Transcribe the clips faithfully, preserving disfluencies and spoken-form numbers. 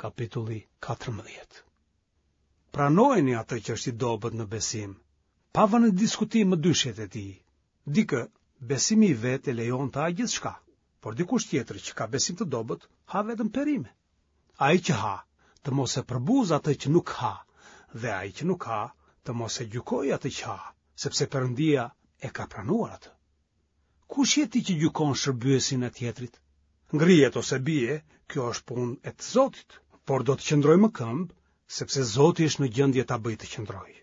kapitulli katërmbëdhjetë. Pranojeni atë që është i dobët në besim, pa vënë në diskutim mëdyshjet e tij. Dikë, besimi i vet e lejon të hajë gjithçka, por dikush tjetër që ka besim të dobët, ha vetëm perime. Ai që ha, të mos e përbuzë atë që nuk ha, dhe ai që nuk ha, të mos e gjykojë atë që ha, sepse Perëndia e ka pranuar atë. Kush je ti që gjykon shërbyesin e tjetrit? Ngrihet ose bie, kjo është punë e të Zotit, por do të qëndrojë më këmbë, sepse Zoti është në gjendje ta bëjë të qëndrojë.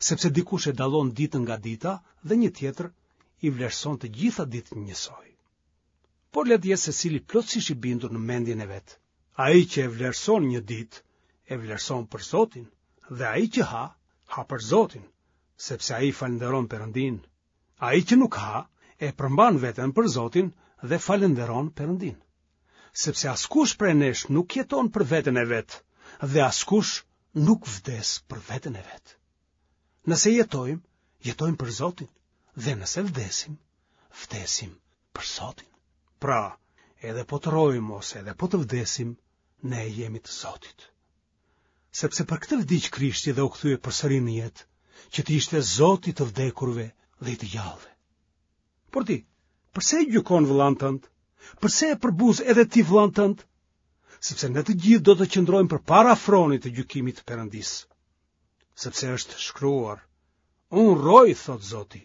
Sepse dikush e dallon ditën nga dita dhe një tjetër i vlerëson të gjitha ditët njësoj. Por le të jetë secili plotësisht i bindur në mendjen e vet. Ai që e vlerëson një ditë, e vlerëson për Zotin, dhe ai që ha, ha për Zotin, sepse ai falënderon Perëndinë. Ai që nuk ha, e përmban veten për Zotin dhe falënderon Perëndinë. Sepse askush prej nesh nuk jeton për veten e vet dhe askush nuk vdes për veten e vet. Nëse jetojmë, jetojmë për Zotin dhe nëse vdesim, vdesim për Zotin. Pra, edhe po të rrojmë ose edhe po të vdesim, ne jemi të Zotit. Sepse për këtë vdiq Krishti dhe u kthye përsëri në jetë, që të ishte Zoti i të vdekurve dhe i të gjallëve. Por ti, përse e gjykon vëllanë tënd? Përse e përbuz edhe ti vëllanë tënd? Sepse ne të gjithë do të qëndrojmë përpara fronit të gjykimit të Perëndisë. Sepse është shkruar, unë rroj, thotë Zoti,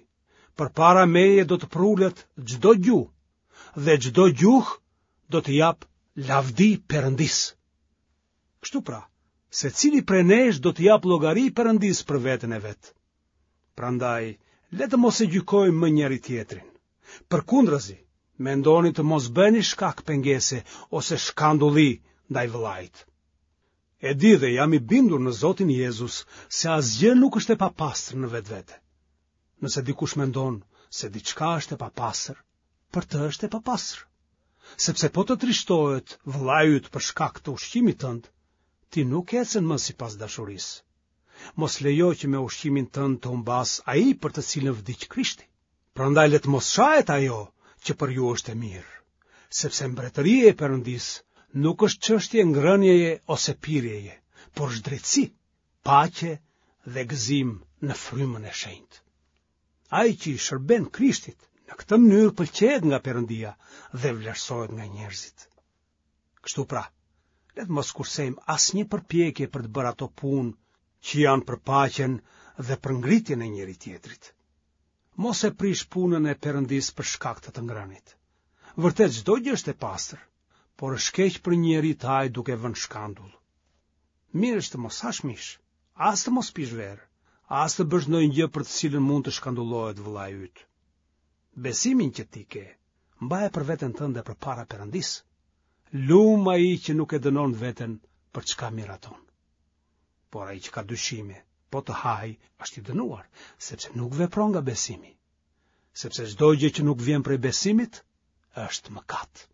përpara meje do të përulet çdo gjuhë, dhe çdo gjuhë do t'i japë lavdi Perëndisë. Kështu pra, secili prej nesh do t'i japë llogari Perëndisë për veten e vet. Prandaj, le të mos e gjykojmë më njëri-tjetrin. Përkundrazi, mendoni të mos bëni shkak pengese ose shkandulli ndaj vëllait. E di dhe jam i bindur në Zotin Jezus se asgjë nuk është e papastër në vetvete. Nëse dikush mendon se diçka është e papastër, për të është e papastër. Sepse po të trishtohet vëllai yt për shkak të ushqimit tënd, ti nuk ecën më sipas dashurisë. Mos lejo që me ushqimin tënd të humbasë ai për të cilin vdiq Krishti. Prandaj le të mos shahet ajo që për ju është e mirë, sepse mbretëria e Perëndisë nuk është çështje ngrënieje ose pirjeje, por është drejtësi, paqe dhe gëzim në frymën e shenjtë. Ai që i shërben Krishtit në këtë mënyrë pëlqehet nga Perëndia dhe vlerësohet nga njerëzit. Kështu pra, le të mos kursejmë asnjë përpjekje për të bërë ato punë që janë për paqen dhe për ngritjen e njëri-tjetrit. Mos e prish punën e Perëndisë për shkak të të ngrënit. Vërtet çdo gjë është e pastër, por është keq për një njeri të hajë duke vënë shkandull. Mirë është të mos hash mish, as të mos pish verë, as të bësh ndonjë gjë për të cilën mund të shkandullohet vëllai yt. Besimin që ti ke, mbaje për veten tënde përpara Perëndisë. Lum ai që nuk e dënon veten për çka miraton. Por ai që ka dyshime, po të hajë, është i dënuar, sepse nuk vepron nga besimi. Sepse çdo gjë që nuk vjen prej besimit, është mëkat.